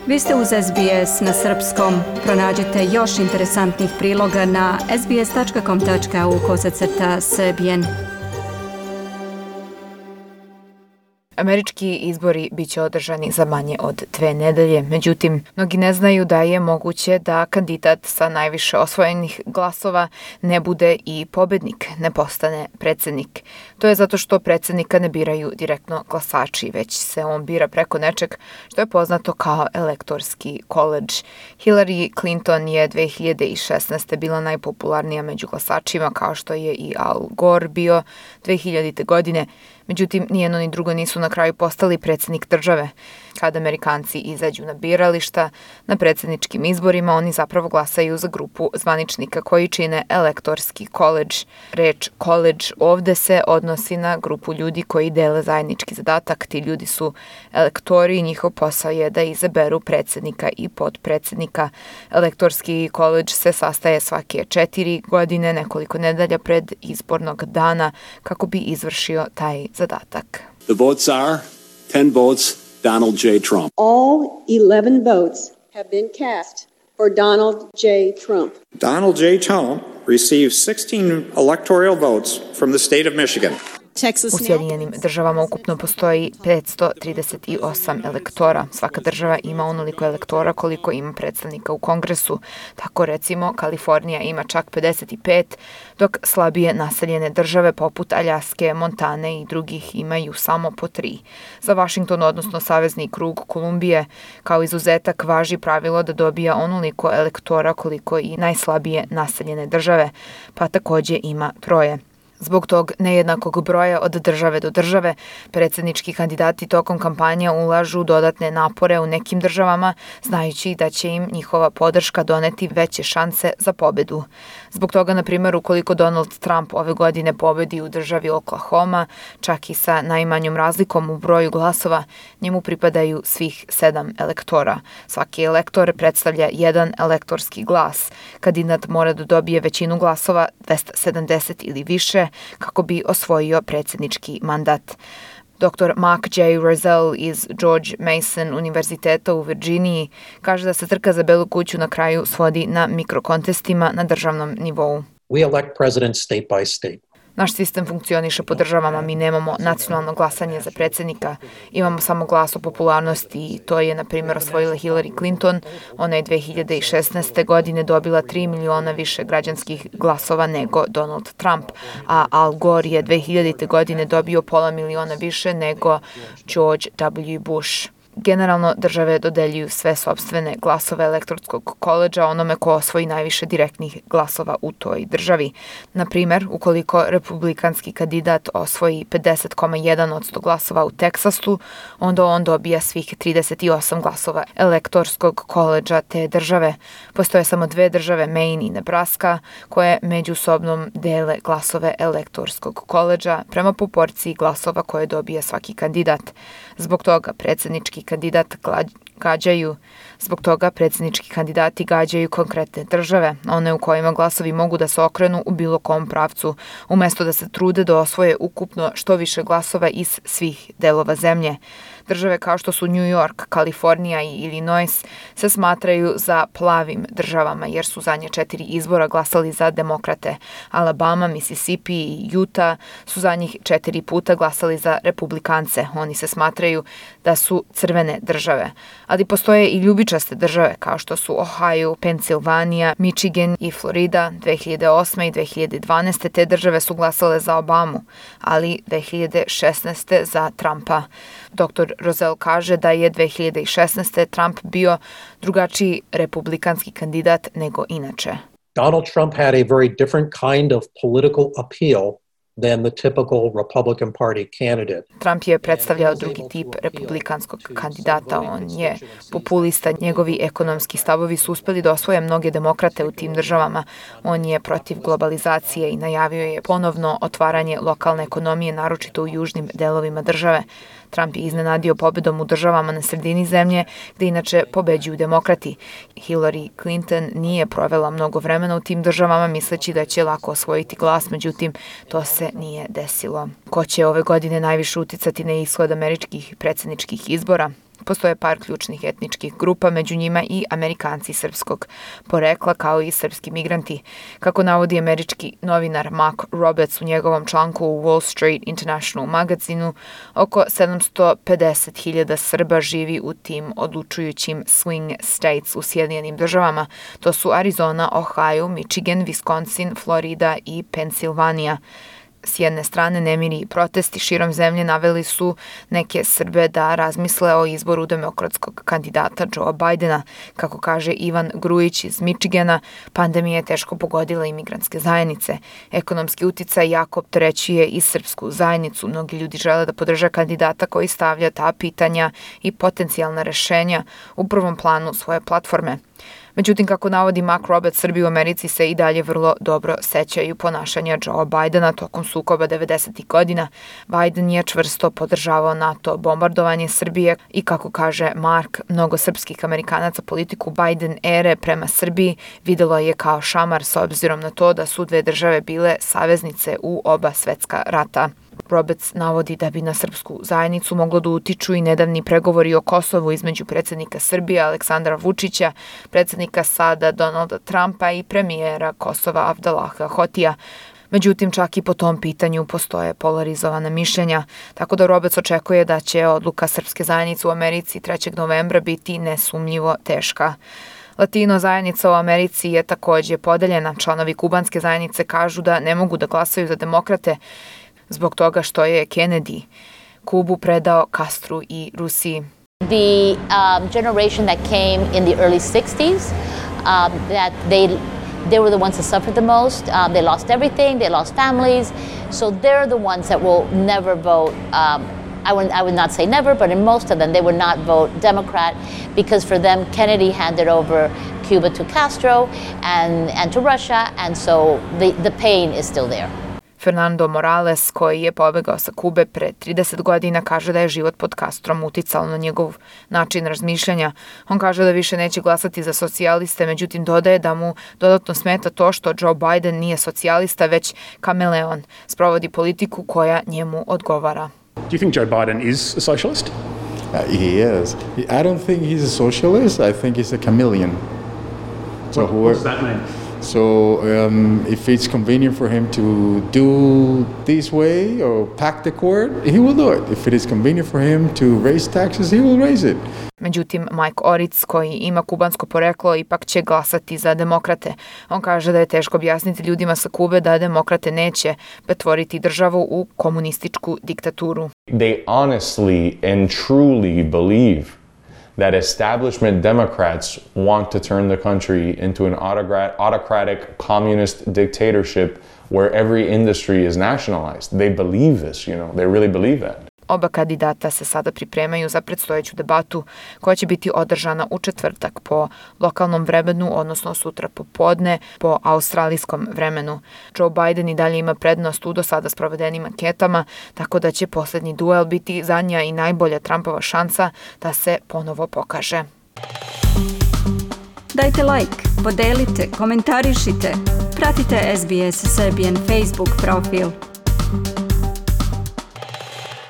Vi ste uz SBS na srpskom. Pronađite još interesantnih priloga na sbs.com.au/srbijen. Američki izbori biće održani za manje od 2 nedelje, međutim, mnogi ne znaju da je moguće da kandidat sa najviše osvojenih glasova ne bude i pobednik, ne postane predsjednik. To je zato što predsjednika ne biraju direktno glasači, već se on bira preko nečeg što je poznato kao elektorski koledž. Hillary Clinton je 2016. bila najpopularnija među glasačima, kao što je i Al Gore bio 2000. godine. Međutim, ni jedno ni drugo nisu na kraju postali predsjednik države. Kada Amerikanci izađu na birališta, na predsjedničkim izborima, oni zapravo glasaju za grupu zvaničnika koji čine elektorski koledž. Reč koledž ovde se odnosi na grupu ljudi koji dele zajednički zadatak. Ti ljudi su elektori i njihov posao je da izaberu predsjednika i potpredsjednika. Elektorski koledž se sastaje svake 4 godine, nekoliko nedelja pred izbornog dana, kako bi izvršio taj zadatak. The votes are 10 votes Donald J. Trump. All 11 votes have been cast for Donald J. Trump. Donald J. Trump received 16 electoral votes from the state of Michigan. U Sjedinjenim državama ukupno postoji 538 elektora. Svaka država ima onoliko elektora koliko ima predstavnika u Kongresu. Tako recimo Kalifornija ima čak 55, dok slabije naseljene države poput Aljaske, Montane i drugih imaju samo po 3. Za Washington, odnosno Savezni krug Kolumbije, kao izuzetak važi pravilo da dobija onoliko elektora koliko i najslabije naseljene države, pa takođe ima 3. Zbog tog nejednakog broja od države do države, predsjednički kandidati tokom kampanja ulažu dodatne napore u nekim državama, znajući da će im njihova podrška doneti veće šanse za pobedu. Zbog toga, na primjer, ukoliko Donald Trump ove godine pobedi u državi Oklahoma, čak i sa najmanjom razlikom u broju glasova, njemu pripadaju svih 7 elektora. Svaki elektor predstavlja jedan elektorski glas. Kandidat mora da dobije većinu glasova, 270 ili više, kako bi osvojio predsjednički mandat. Dr. Mark J. Rozelle iz George Mason univerziteta u Virginiji kaže da se trka za Belu kuću na kraju svodi na mikrokontestima na državnom nivou. We elect presidents state by state. Naš sistem funkcioniše po državama, mi nemamo nacionalno glasanje za predsjednika, imamo samo glas o popularnosti i to je, na primjer, osvojila Hillary Clinton. Ona je 2016. godine dobila 3 miliona više građanskih glasova nego Donald Trump, a Al Gore je 2000. godine dobio 500 miliona više nego George W. Bush. Generalno, države dodeljuju sve sopstvene glasove elektorskog koledža onome ko osvoji najviše direktnih glasova u toj državi. Na primjer, ukoliko republikanski kandidat osvoji 50,1% glasova u Teksasu, onda on dobija svih 38 glasova elektorskog koledža te države. Postoje samo 2 države, Maine i Nebraska, koje međusobno dele glasove elektorskog koledža prema proporciji glasova koje dobije svaki kandidat. Zbog toga predsjednički kandidati gađaju konkretne države, one u kojima glasovi mogu da se okrenu u bilo kom pravcu, umjesto da se trude da osvoje ukupno što više glasova iz svih delova zemlje. Države kao što su New York, Kalifornija i Illinois se smatraju za plavim državama jer su zadnje 4 izbora glasali za demokrate. Alabama, Mississippi i Utah su zadnjih 4 puta glasali za republikance. Oni se smatraju da su crvene države. Ali postoje i ljubičaste države kao što su Ohio, Pensilvanija, Michigan i Florida. 2008. i 2012. te države su glasale za Obamu, ali 2016. za Trumpa. Dr. Rozelle kaže da je 2016. Trump bio drugačiji republikanski kandidat nego inače. Donald Trump had a very different kind of political appeal than the typical Republican Party candidate. Trump je predstavljao drugi tip republikanskog kandidata. On je populista. Njegovi ekonomski stavovi su uspeli da osvoje mnoge demokrate u tim državama. On je protiv globalizacije i najavio je ponovno otvaranje lokalne ekonomije, naročito u južnim delovima države. Trump je iznenadio pobedom u državama na sredini zemlje, gde inače pobeđuju demokrati. Hillary Clinton nije provela mnogo vremena u tim državama misleći da će lako osvojiti glas, međutim, to se nije desilo. Ko će ove godine najviše uticati na ishod američkih predsjedničkih izbora? Postoje par ključnih etničkih grupa, među njima i Amerikanci srpskog porekla, kao i srpski migranti. Kako navodi američki novinar Mark Roberts u njegovom članku u Wall Street International magazinu, oko 750.000 Srba živi u tim odlučujućim swing states u Sjedinjenim državama. To su Arizona, Ohio, Michigan, Wisconsin, Florida i Pensilvanija. S jedne strane, nemiri i protesti širom zemlje naveli su neke Srbe da razmisle o izboru demokratskog kandidata Joea Bidena. Kako kaže Ivan Grujić iz Michigana, pandemija je teško pogodila imigrantske zajednice. Ekonomski uticaj jako opterećuje i srpsku zajednicu. Mnogi ljudi žele da podrže kandidata koji stavlja ta pitanja i potencijalna rešenja u prvom planu svoje platforme. Međutim, kako navodi Mark Roberts, Srbi u Americi se i dalje vrlo dobro sećaju ponašanja Joea Bidena tokom sukoba 90. godina. Biden je čvrsto podržavao NATO bombardovanje Srbije i, kako kaže Mark, mnogo srpskih Amerikanaca politiku Biden ere prema Srbiji videlo je kao šamar s obzirom na to da su dve države bile saveznice u oba svetska rata. Roberts navodi da bi na srpsku zajednicu moglo da utiču i nedavni pregovori o Kosovu između predsjednika Srbije Aleksandra Vučića, predsjednika sada Donalda Trumpa i premijera Kosova Avdalaha Hotija. Međutim, čak i po tom pitanju postoje polarizovana mišljenja, tako da Roberts očekuje da će odluka srpske zajednice u Americi 3. novembra biti nesumnjivo teška. Latino zajednica u Americi je takođe podeljena. Članovi kubanske zajednice kažu da ne mogu da glasaju za demokrate zbog toga što je Kennedy Kubu predao Castru i Rusiji. The generation that came in the early 60s, that they were the ones that suffered the most. They lost everything, they lost families, so they're the ones that will never vote. I would not say never, but in most of them, they would not vote Democrat because for them, Kennedy handed over Cuba to Castro and to Russia, and so the pain is still there. Fernando Morales, koji je pobegao sa Kube pre 30 godina, kaže da je život pod Castrom uticao na njegov način razmišljanja. On kaže da više neće glasati za socijaliste, međutim dodaje da mu dodatno smeta to što Joe Biden nije socijalista, već kameleon, sprovodi politiku koja njemu odgovara. Do you think Joe Biden is a socialist? He is. I don't think he's a socialist. I think he's a chameleon. So what does that mean? So if it's convenient for him to do this way or pack the cord, he will do it. If it is convenient for him to raise taxes, he will raise it. Međutim, Mike Oritz, koji ima kubansko poreklo, ipak će glasati za demokrate. On kaže da je teško objasniti ljudima sa Kube da demokrate neće pretvoriti državu u komunističku diktaturu. They honestly and truly believe that establishment Democrats want to turn the country into an autocratic communist dictatorship where every industry is nationalized. They believe this, they really believe that. Oba kandidata se sada pripremaju za predstojeću debatu koja će biti održana u četvrtak po lokalnom vremenu, odnosno sutra popodne po australijskom vremenu. Joe Biden i dalje ima prednost u do sada sprovedenim anketama, tako da će poslednji duel biti zadnja i najbolja Trumpova šansa da se ponovo pokaže. Dajte like, podelite, komentarišite, pratite SBS Serbian Facebook profil.